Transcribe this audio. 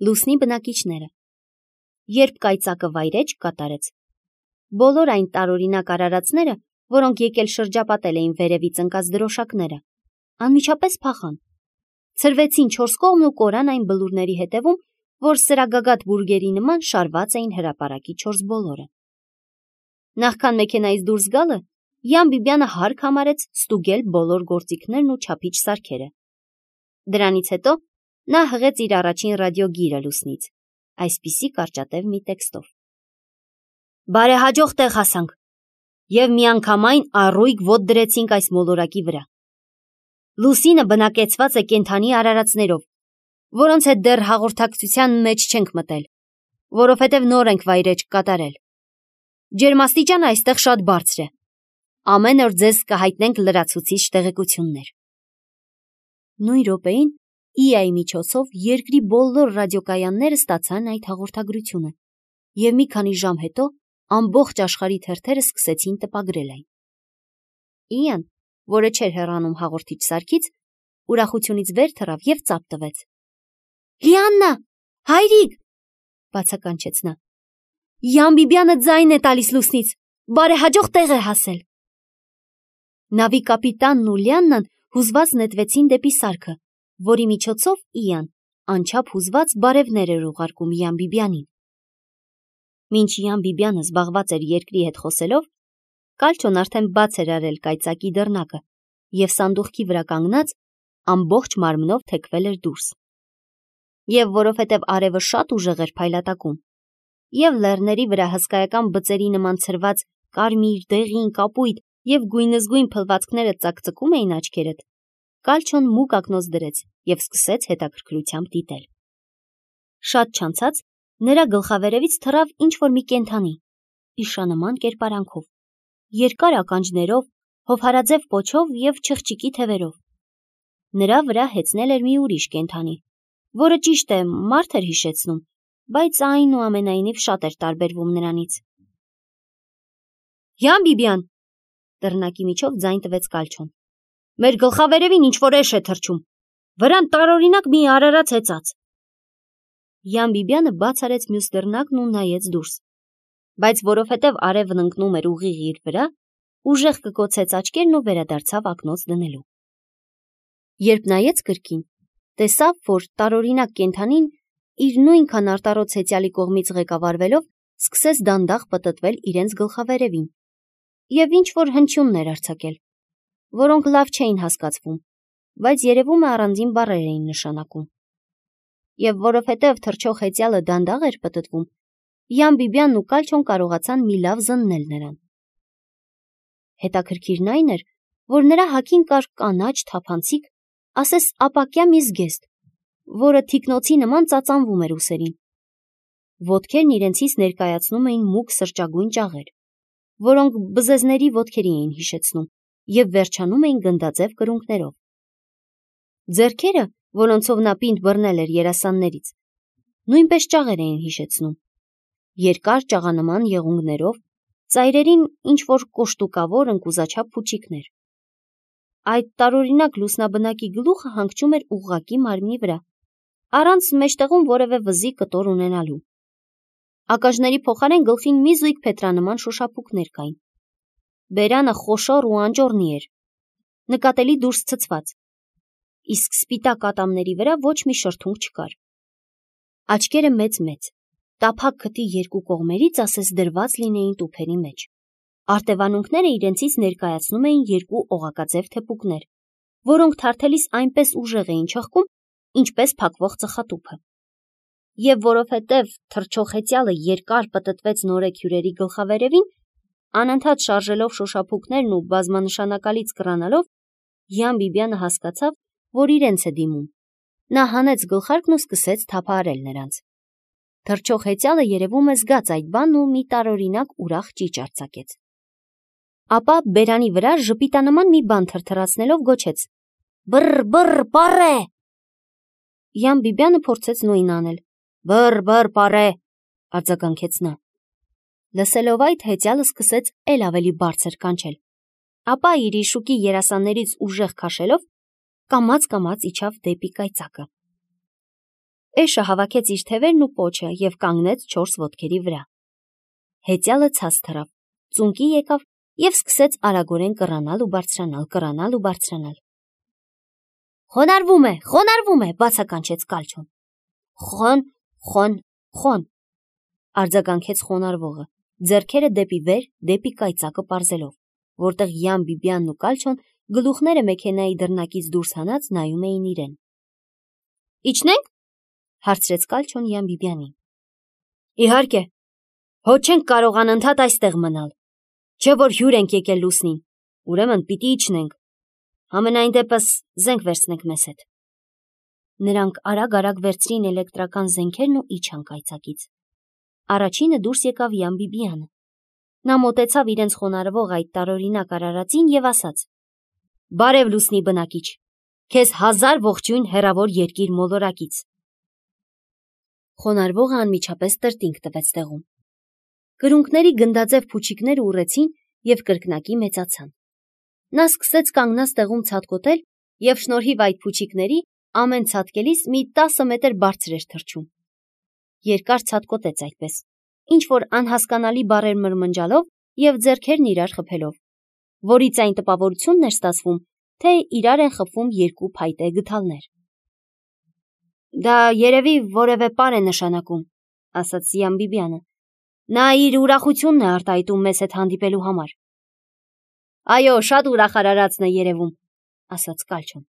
Լուսնի բնակիչները։ Երբ կայծակը վայրէջք կատարեց, բոլոր այն տարօրինակ արարածները, որոնք եկել շրջապատել էին վերևից ընկած դրոշակները, անմիջապես փախան, ցրվեցին չորս կողմն ու կորան այն բլուրների հետևում, որ սրագագաթ բուրգերի նման շարված էին հրապարակի չորս բոլորը։ Նախքան մեքենայից դուրս գալը, Յան Բիբյանը հարկ համարեց ստուգել բոլոր գործիքներն ու չափիչ սարքերը։ Դրանից հետո նա հղեց իր առաջին ռադիոգիրը Լուսնից, այսպիսի կարճատև մի տեքստով. «Բարեհաջող տեղ հասանք և միանգամայն առույգ ոտ դրեցինք այս մոլորակի վրա։ Լուսինը բնակեցված է կենդանի արարածներով, որոնց հետ դեռ հաղորդակցության մեջ չենք մտել, որովհետև նոր ենք վայրէջք կատարել։ Ջերմաստիճանը այստեղ շատ բարձր է։ Ամեն օր ձեզ կհայտնենք լրացուցիչ տեղեկություններ»։ Նույն րոպեին ԻԱ-ի միջոցով երկրի բոլոր ռադիոկայանները ստացան այդ հաղորդագրությունը, և մի քանի ժամ հետո ամբողջ աշխարհի թերթերը սկսեցին տպագրել այն։ ԻԱ-ն, որը չէր հեռանում հաղորդիչ սարքից, ուրախությունից վեր թռավ և ծափ տվեց։ «Լիաննա, հայրիկ», բացականչեց նա, «Յան Բիբյանը ձայն է տալիս Լուսնից, բարեհաջող տեղ է հասել»։ Նավի կապիտանն ու Լիաննան հուզված նետվեցին դեպի սարքը, որի միջոցով ԻԱ-ն անչափ հուզված բարևներ էր ուղարկում Յան Բիբյանին։ Մինչ Յան Բիբյանը զբաղված էր երկրի հետ խոսելով, Կալչոն արդեն բաց էր արել կայծակի դռնակը և սանդուղքի վրա կանգնած ամբողջ մարմնով թեքվել էր դուրս։ Եվ որովհետև արևը շատ ուժեղ էր փայլատակում, և լեռների վրա հսկայական բծերի նման ցրված կարմիր, դեղին, կապույտ և գույնզգույն փլվածքները ծակծկում էին աչքերդ, Կալչոն մուգ ակնոց դրեց և սկսեց հետաքրքրությամբ դիտել։ Շատ չանցած նրա գլխավերևից թռավ ինչ-որ մի կենդանի, իշանման կերպարանքով, երկար ականջներով, հովհարաձև պոչով և չղջիկի թևերով։ Նրա վրա հեծնել էր մի ուրիշ կենդանի, որը ճիշտ է մարդ էր հիշեցնում, բայց այնուամենայնիվ շատ էր տարբերվում նրանից։ «Յան Բիբյան», դռնակի միջով ձայն տվեց Կալչոն, «մեր գլխավերևին ինչ-որ էշ է թռչում, վրան տարօրինակ մի արարած հեծած»։ Յան Բիբյանը բաց արեց մյուս դռնակն ու նայեց դուրս, բայց որովհետև արևն ընկնում էր ուղիղ իր վրա, ուժեղ կկոցեց աչքերն ու վերադարձավ ակնոց դնելու։ Երբ նայեց կրկին, տեսավ, որ տարօրինակ կենդանին իր նույնքան արտառոց հեծյալի կողմից ղեկավարվելով սկսեց դանդաղ պտտվել իրենց գլխավերևին և ինչ-որ հնչյուններ արձակել, որոնք լավ չէին հասկացվում, բայց երևում է առանձին բառեր էին նշանակում։ Եվ որովհետև թռչող հեծյալը դանդաղ էր պտտվում, Յան Բիբյանն ու Կալչոն կարողացան մի լավ զննել նրան։ Հետաքրքիրն այն էր, որ նրա հագին կար կանաչ, թափանցիկ, ասես ապակյա մի զգեստ, որը թիկնոցի նման ծածանվում էր ուսերին։ Ոտքերն իրենցից ներկայացնում էին մուգ սրճագույն ճաղեր, որոնք բզեզների ոտքերի էին հիշեցնում և վերջանում էին գնդաձև կրունկներով։ Ձեռքերը, որոնցով նա պինդ բռնել էր երասաններից, նույնպես ճաղեր էին հիշեցնում, երկար ճաղանման եղունգներով, ծայրերին ինչ-որ կոշտուկավոր ընկուզաչափ փուչիկներ։ Այդ տարօրինակ լուսնաբնակի գլուխը հանգչում էր ուղղակի մարմնի վրա, առանց մեջտեղում որևէ վզի կտոր ունենալու։ Ականջների փոխարեն գլխին մի զույգ փետրանման շոշափուկներ կային։ Բերանը խոշոր ու անճոռնի էր, նկատելի դուրս ցցված, իսկ սպիտակ ատամների վրա ոչ մի շրթունք չկար։ Աչքերը մեծ-մեծ, տափակ քթի երկու կողմերից ասես դրված լինեին տուփերի մեջ։ Արտևանունքները իրենցից ներկայացնում էին երկու օղակաձև թեփուկներ, որոնք թարթելիս այնպես ուժեղ էին չխկում, ինչպես փակվող ծխատուփը։ Եվ որովհետև թռչող հեծյալը երկար պտտվեց նորեքյուրերի գլխավերևին, անընդհատ շարժելով շոշափուկներն ու բազմանշանակալից կռանալով, Յան Բիբյանը հասկացավ, որ իրենց է դիմում։ Նա հանեց գլխարկն ու սկսեց թափահարել նրանց։ Թռչող հեծյալը երևում է զգաց այդ բանն ու մի տարօրինակ ուրախ ճիչ արձակեց։ Ապա բերանի վրա ժպիտանման մի բան թրթռացնելով գոչեց. «Բռ, պառե»։ Յան Բիբյանը փորձեց նույնն անել։ «Բռ, պառե», արձագանքեց նա։ Լսելով այդ, հեծյալը սկսեց էլ ավելի բարձր կանչել, ապա իր շուկի երասաններից ուժեղ քաշելով, կամաց-կամաց իջավ դեպի կայծակը։ Էշը հավաքեց իր թևերն ու պոչը և կանգնեց 4 ոտքերի վրա։ Հեծյալը ցած թռավ, ծունկի եկավ և սկսեց արագորեն կռանալ ու բարձրանալ։ Խոնարհվում է, բացականչեց Կալչոն։ Խոն, արձագանքեց խոնարհվողը, ձեռքերը դեպի վեր, դեպի կայծակը պարզելով, որտեղ Յան Բիբիանն ու Կալչոն գլուխները մեքենայի դռնակից դուրս հանած նայում էին իրեն։ Իջնե՞նք, հարցրեց Կալչոն Յան Բիբիանին։ Իհարկե, հո չենք կարող անընդհատ այստեղ մնալ, չէ որ հյուր ենք եկել լուսնին, ուրեմն պիտի իջնենք, համենայն դեպս զենք վերցնենք մեզ հետ։ Նրանք արագ վերցրին էլեկտրական զենքերն ու իջան կայծակից։ Առաջինը դուրս եկավ Յան Բիբիանը։ Նա մոտեցավ իրենց խոնարհվող այդ տարօրինակ արարածին և ասաց. Բարև լուսնի բնակիչ, քեզ 1000 ողջույն հեռավոր երկիր մոլորակից։ Խոնարհվողը անմիջապես տրտինգ տվեց տեղում։ Կրունկների գնդաձև փուչիկները ուռեցին և կրկնակի մեծացան։ Նա սկսեց կանգնած տեղում ցատկոտել և շնորհիվ այդ փուչիկների ամեն ցատկելիս մի 10 մետր բարձր էր թռչում։ Երկար ցատկոտեց այդպես, ինչ-որ անհասկանալի բառեր մրմնջալով և ձեռքերն իրար խփելով, որից այն տպավորությունն էր ստացվում, թե իրար են խփվում երկու փայտե գդալներ։ Դա երևի որևէ պար է նշանակում, ասաց Յան Բիբիանը։ Նա իր ուրախությունն է արտահայտում մեզ հետ հանդիպելու համար։ Այո, շատ ուրախ արարածն է երևում, ասաց Կալչոն։